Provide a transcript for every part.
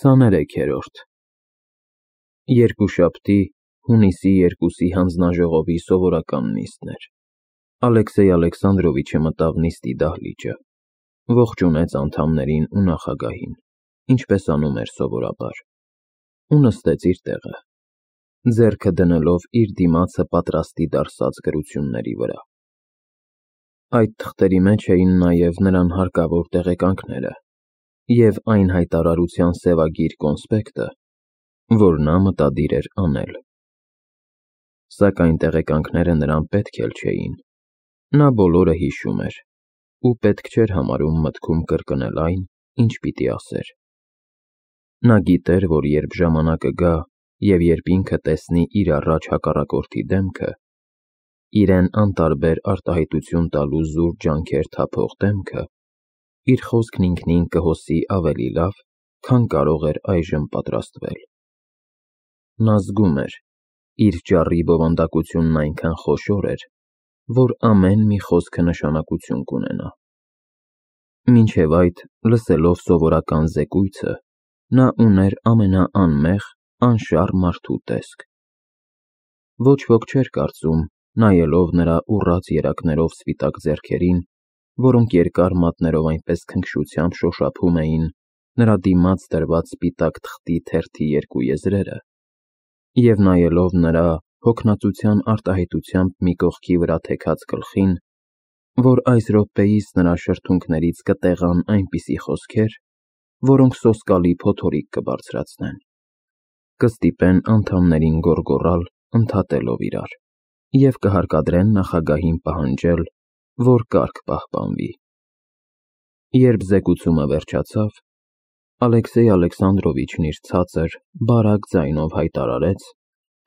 23-րդ Երկուշաբթի, հունիսի 2-ի հանձնաժողովի սովորական նիստն էր։ Ալեքսեյ Ալեքսանդրովիչը մտավ նիստի դահլիճը, ողջունեց անդամներին ու նախագահին, ինչպես անում էր սովորաբար, ու նստեց իր տեղը, ձեռքը դնելով իր դիմացը պատրաստի դարսած գրությունների վրա։ Այդ թղթերի մեջ էին նաև նրան հարկավոր տեղեկանքները և այն հայտարարության սևագիր կոնսպեկտը, որ նա մտադիր էր անել։ Սակայն տեղեկանքները նրան պետք էլ չէին, նա բոլորը հիշում էր, ու պետք չէր համարում մտքում կրկնել այն, ինչ պիտի ասեր։ Նա գիտեր, որ երբ ժամանակը գա, և երբ ինքը տեսնի իր առաջ հակառակորդի դեմքը, իրեն անտարբեր արտահայտություն տալու զուր ջանքեր թափող դեմքը, իր խոսքն ինքնին կհոսի ավելի լավ, քան կարող էր այժմ պատրաստվել։ Նա զգում էր, իր ճառի բովանդակությունն այնքան խոշոր էր, որ ամեն մի խոսքը նշանակություն կունենա։ Մինչև այդ, լսելով սովորական զեկույցը, նա ուներ ամենաանմեղ, անշառ մարդու տեսք։ Ոչ ոք չէր կարծում, նայելով նրա ուռած երակներով սպիտակ ձեռքերին, որոնք երկար մատներով այնպես քնքշությամբ շոշափում էին նրա դիմաց դրված սպիտակ թղթի թերթի երկու եզրերը, և նայելով նրա հոգնածության արտահայտությամբ մի կողքի վրա թեքած գլխին, որ այս րոպեիս նրա շրթունքներից կտեղան այնպիսի խոսքեր, որոնք սոսկալի փոթորիկ կբարձրացնեն, կստիպեն անդամներին գոռգոռալ ընդհատելով իրար, և կհարկադրեն նախագահին պահանջել, որ կարգ պահպանվի։ Երբ զեկուցումը վերջացավ, Ալեքսեյ Ալեքսանդրովիչն իր ցածր, բարակ ձայնով հայտարարեց,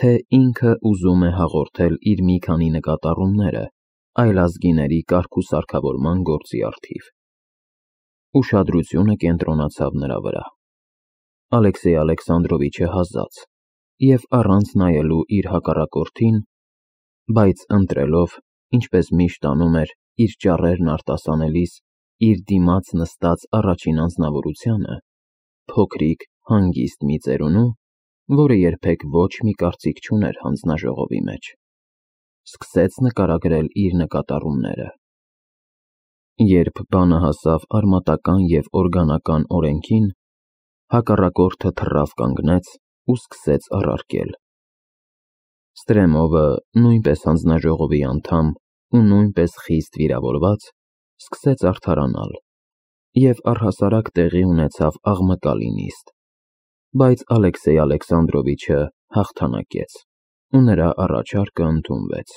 թե ինքը ուզում է հաղորդել իր մի քանի նկատառումները այլազգիների կարգ ու սարքավորման գործի առթիվ։ Ուշադրությունը կենտրոնացավ նրա վրա։ Ալեքսեյ Ալեքսանդրովիչը հազաց և առանց նայելու իր հակառակորդին, բայց ընտրելով, ինչպես միշտ անում էր, իր ճառերն արտասանելիս, իր դիմաց նստած առաջին անձնավորությանը, փոքրիկ, հանգիստ մի ծերունու, որը երբեք ոչ մի կարծիք չուներ հանձնաժողովի մեջ, սկսեց նկարագրել իր նկատառումները։ Երբ բանը հասավ արմատական և օրգանական օրենքին, հակառակորդը թռավ կանգնեց ու սկսեց առարկել։ Ստրեմովը, նույնպես հանձնաժողովի անդամ ու նույնպես խիստ վիրավորված, սկսեց արդարանալ, և առհասարակ տեղի ունեցավ աղմկալի նիստ, բայց Ալեքսեյ Ալեքսանդրովիչը հաղթանակեց, ու նրա առաջարկը ընդունվեց։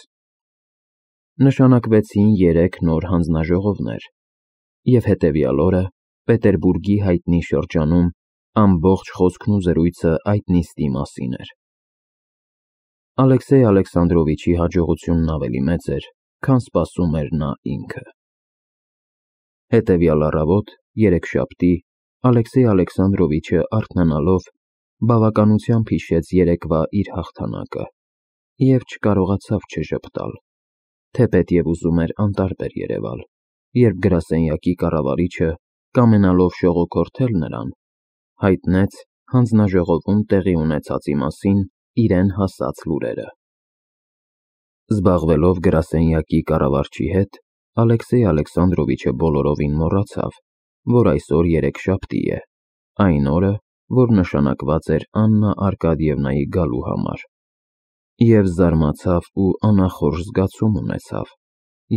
Նշանակվեցին 3 նոր հանձնաժողովներ, և հետևյալ օրը Պետերբուրգի հայտնի շրջանում ամբողջ խոսքն ու զրույցը այդ նիստի մասին էր։ Ալեքսեյ Ալեքսանդրովիչի հաջողությունն ավելի մեծ էր, քան սպասում էր նա ինքը։ Հետևյալ առավոտ, երեքշաբթի, Ալեքսեյ Ալեքսանդրովիչը արթնանալով, բավականությամբ հիշեց երեկվա իր հաղթանակը և չկարողացավ չժպտալ, թեպետև ուզում էր անտարբեր երևալ, երբ գրասենյակի կառավարիչը, կամենալով շողոքորթել նրան, հայտնեց հանձնաժողովում տեղի ունեցածի մասին իրեն հասած լուրերը։ Զբաղվելով գրասենյակի կառավարչի հետ, Ալեքսեյ Ալեքսանդրովիչը բոլորովին մոռացավ, որ այսօր երեքշաբթի է, այն օրը, որ նշանակված էր Աննա Արկադիևնայի գալու համար, և զարմացավ ու անախորժ զգացում ունեցավ,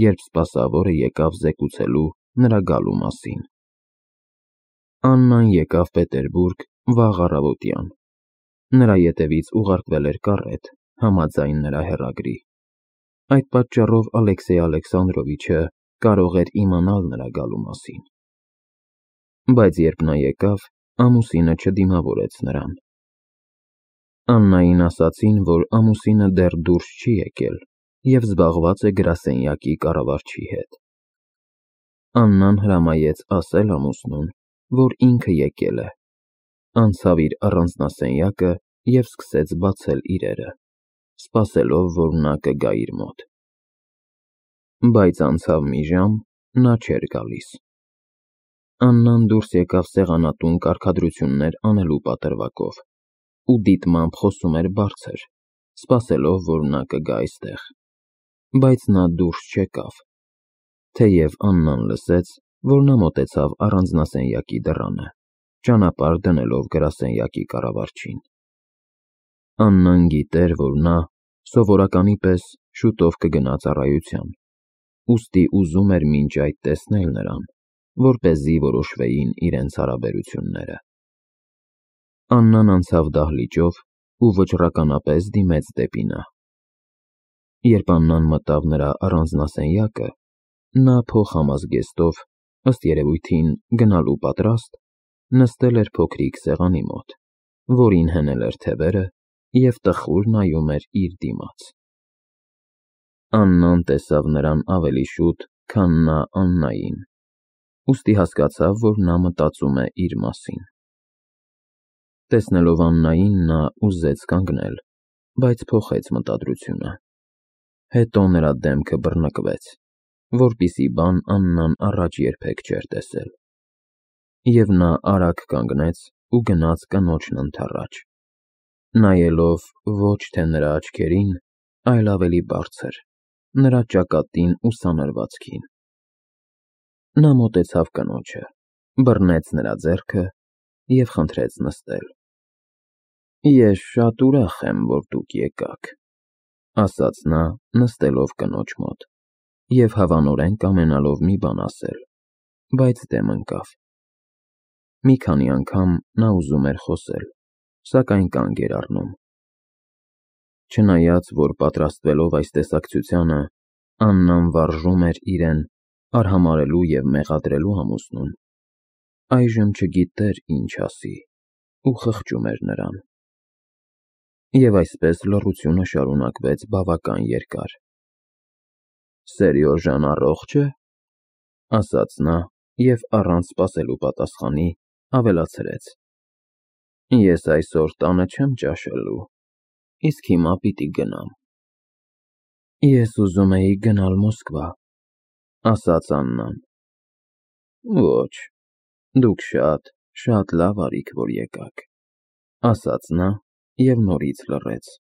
երբ սպասավորը եկավ զեկուցելու նրա գալու մասին։ Աննան եկավ Պետերբուրգ վաղ առավոտյան։ Նրա ետևից ուղարկվել էր կառետ, համաձայն նրա հեռագրի։ Այդ պատճառով Ալեքսեյ Ալեքսանդրովիչը կարող էր իմանալ նրա գալու մասին։ Բայց երբ նա եկավ, ամուսինը չդիմավորեց նրան։ Աննային ասացին, որ ամուսինը դեռ դուրս չի եկել և զբաղված է գրասենյակի կառավարչի հետ։ Աննան հրամայեց ասել ամուսնուն, որ ինքը եկել է, անցավ իր առանձնասենյակը և սկսեց բացել իրերը, սպասելով, որ նա կգա իր մոտ։ Բայց անցավ մի ժամ, նա չէր գալիս։ Աննան դուրս եկավ սեղանատուն կարգադրություններ անելու պատրվակով ու դիտմամբ խոսում էր բարձր, սպասելով, որ նա կգա այստեղ, բայց նա դուրս չեկավ, թեև Աննան լսեց, որ նա մոտեցավ առանձնասենյակի դռանը, ճանապարհ դնելով գրասենյակի կառավարչին։ Աննան գիտեր, որ նա սովորականի պես շուտով կգնա ծառայության, ուստի ուզում էր մինչ այդ տեսնել նրան, որպեսզի որոշվեին իրենց հարաբերությունները։ Աննան անցավ դահլիճով ու վճռականապես դիմեց դեպի նա։ Երբ Աննան մտավ նրա առանձնասենյակը, նա փոխհամազգեստով, ըստ երևույթին գնալու պատրաստ, նստել էր փոքրիկ սեղանի մոտ, որին հնել էր թևերը և տխուր նայում էր իր դիմաց։ Աննան տեսավ նրան ավելի շուտ, քան նա Աննային, ուստի հասկացավ, որ նա մտածում է իր մասին։ Տեսնելով Աննային, նա ուզեց կանգնել, բայց փոխեց մտադրությունը։ Հետո նրա դեմքը բռնկվեց, որպիսի բան Աննան առաջ երբեք չէր տեսել։ Եվ նա արագ կանգնեց ու գնաց կնոջն ընդառաջ, նայելով ոչ թե նրա աչքերին, այլ ավելի բարձր, նրա ճակատին ու սանրվածքին։ Նա մոտեցավ կնոջը, բռնեց նրա ձեռքը և խնդրեց նստել։ «Ես շատ ուրախ եմ, որ դուք եկաք», ասաց նա, նստելով կնոջ մոտ և հավանորեն կամենալով մի բան ասել, բայց դեմ ընկավ։ Մի քանի անգամ նա ուզում էր խոսել, սակայն կանգ էր առնում։ Չնայած, որ պատրաստվելով այս տեսակցությանը, Աննան վարժում էր իրեն արհամարհելու և մեղադրելու ամուսնուն, այժմ չգիտեր ինչ ասի ու խղճում էր նրան։ Եվ այսպես լռությունը շարունակվեց բավական երկար։ «Սերյոժան առողջ է», ասաց նա և առանց սպասելու պատասխանի ավելացրեց. «Ես այսօր տանը չեմ ճաշելու, իսկ հիմա պիտի գնամ»։ «Ես ուզում էի գնալ Մոսկվա», ասաց Աննան։ «Ոչ, դուք շատ լավ արիք, որ եկաք», ասաց նա և նորից լռեց։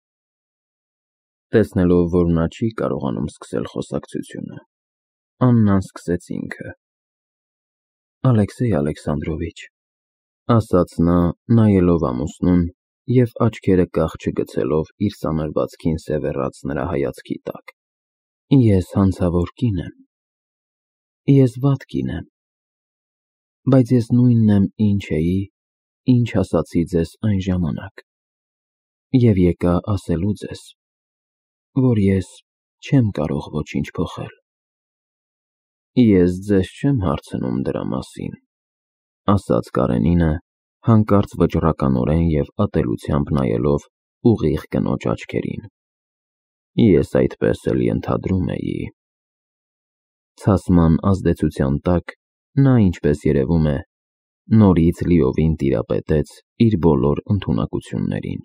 Տեսնելով, որ նա չի կարողանում սկսել խոսակցությունը, Աննան սկսեց ինքը. «Ալեքսեյ Ալեքսանդրովիչ», ասաց նա, նայելով ամուսնուն և աչքերը կախ չգցելով իր սանրվածքին սևեռած նրա հայացքի տակ, «ես հանցավոր կին եմ։ Ես վատ կին եմ, բայց ես նույնն եմ, ինչ էի, ինչ ասացի ձեզ այն ժամանակ, և եկա ասելու ձեզ, որ ես չեմ կարող ոչինչ փոխել»։ «Ես ձեզ չեմ հարցնում դրա մասին», ասաց Կարենինը, հանկարծ վճռականորեն և ատելությամբ նայելով ուղիղ կնոջ աչքերին։ «Ես այդպես էլ ենթադրում էի»։ Ցասման ազդեցության տակ նա, ինչպես երևում է, նորից լիովին տիրապետեց իր բոլոր ընդունակություններին։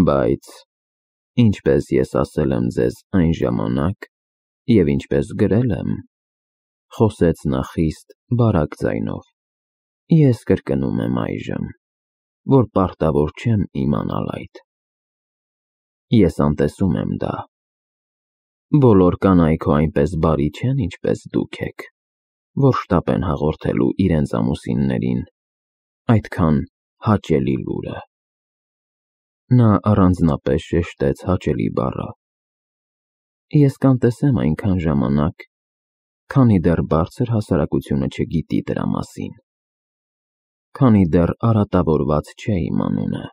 «Բայց, ինչպես ես ասել եմ ձեզ այն ժամանակ և ինչպես գրել եմ», խոսեց նա խիստ բարակ ձայնով, «ես կրկնում եմ այժմ, որ պարտավոր չեմ իմանալ այդ։ Ես անտեսում եմ դա։ Բոլոր կանայք հո այնպես բարի չեն, ինչպես դուք եք, որ շտապ են հաղորդելու իրենց ամուսիններին այդքան հաճելի լուրը»։ Նա առանձնապես շեշտեց հաճելի բառը։ «Ես կանտեսեմ այնքան ժամանակ, քանի դեռ բարձր հասարակությունը չգիտի դրա մասին, քանի դեռ արատավորված չէ իմ անունը։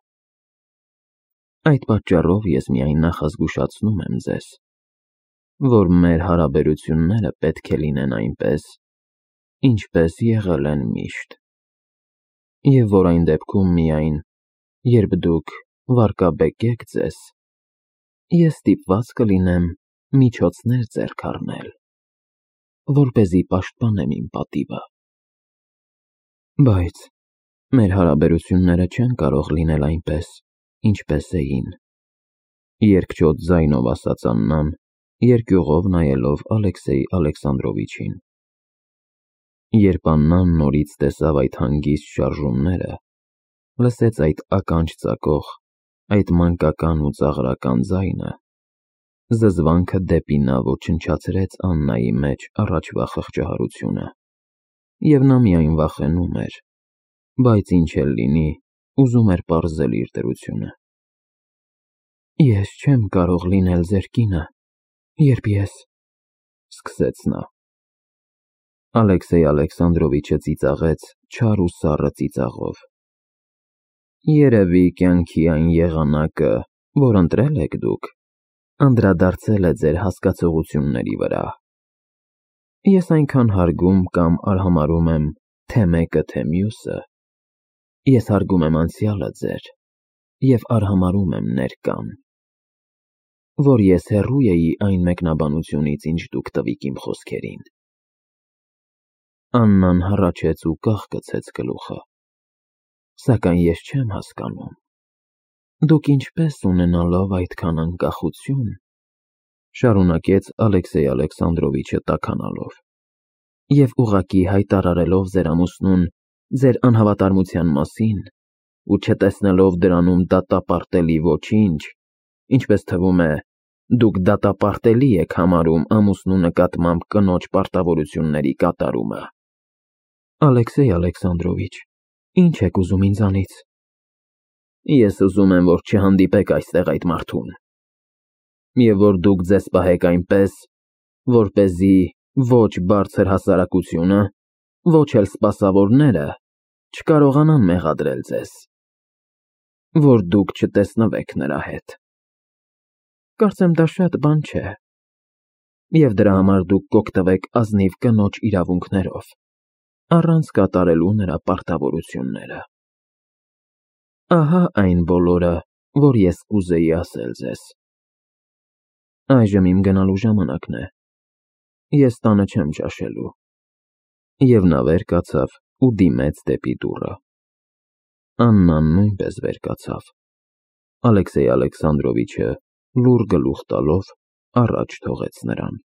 Այդ պատճառով ես միայն նախազգուշացնում եմ ձեզ, որ մեր հարաբերությունները պետք է լինեն այնպես, ինչպես եղել են միշտ, և որ այն դեպքում միայն, երբ դուք վարկաբեկեք ձեզ, ես ստիպված կլինեմ միջոցներ ձեռք առնել, որպեսզի պաշտպանեմ իմ պատիվը։ Բայց մեր հարաբերությունները չեն կարող լինել այնպես, ինչպես էին», երկչոտ ձայնով ասաց Աննան, երկյուղով նայելով Ալեքսեյ Ալեքսանդրովիչին։ Երբ Աննան նորից տեսավ այդ հանգիստ շարժումները, լսեց այդ ականջ ծակող, այդ մանկական ու ծաղրական ձայնը, զզվանքը դեպի նա ոչնչացրեց Աննայի մեջ առաջվա խղճահարությունը, և նա միայն վախենում էր, բայց ինչ էլ լինի, ուզում էր պարզել իր դրությունը։ «Ես չեմ կարող լինել ձեր կինը, երբ ես…» սկսեց նա։ Ալեքսեյ Ալեքսանդրովիչը ծիծաղեց չար ու սառը ծիծաղով։ «Երևի կյանքի այն եղանակը, որ ընտրել եք դուք, անդրադարձել է ձեր հասկացությունների վրա։ Ես այնքան հարգում կամ արհամարհում եմ թե մեկը, թե մյուսը, ես հարգում եմ անցյալը ձեր և արհամարհում եմ ներկան, որ ես հեռու էի այն մեկնաբանությունից, ինչ դուք տվիք իմ խոսքերին»։ Աննան հառաչեց ու կախկցեց գլուխը։ «Սակայն ես չեմ հասկանում, դուք ինչպես ունենալով այդքան անկախություն…» շարունակեց Ալեքսեյ Ալեքսանդրովիչը տաքանալով, «և ուղղակի հայտարարելով ձեր ամուսնուն ձեր անհավատարմության մասին ու չտեսնելով դրանում դատապարտելի ոչինչ, ինչպես թվում է, դուք դատապարտելի եք համարում ամուսնու նկատմամբ կնոջ պարտավորությունների կատարումը»։ «Ալեքսեյ Ալեքսանդրովիչ, ինչ եք ուզում ինձանից»։ «Ես ուզում եմ, որ չհանդիպեք այստեղ այդ մարդուն, և որ դուք ձեզ պահեք այնպես, որպեսզի ոչ բարձր հասարակությունը, ոչ էլ սպասավորները չկարողանան մեղադրել ձեզ, որ դուք չտեսնվեք նրա հետ։ Կարծեմ դա շատ բան չէ, և դրա համար դուք կօգտվեք ազնիվ կնոջ իրավունքներով, առանց կատարելու նրա պարտավորությունները։ Ահա այն բոլորը, որ ես կուզեի ասել ձեզ։ Այժմ իմ գնալու ժամանակն է, ես տանը չեմ ճաշելու»։ Եվ նա վեր կացավ ու դիմեց դեպի դուռը։ Աննան նույնպես վեր կացավ։ Ալեքսեյ Ալեքսանդրովիչը լուռ գլուխ տալով առաջ թողեց նրան։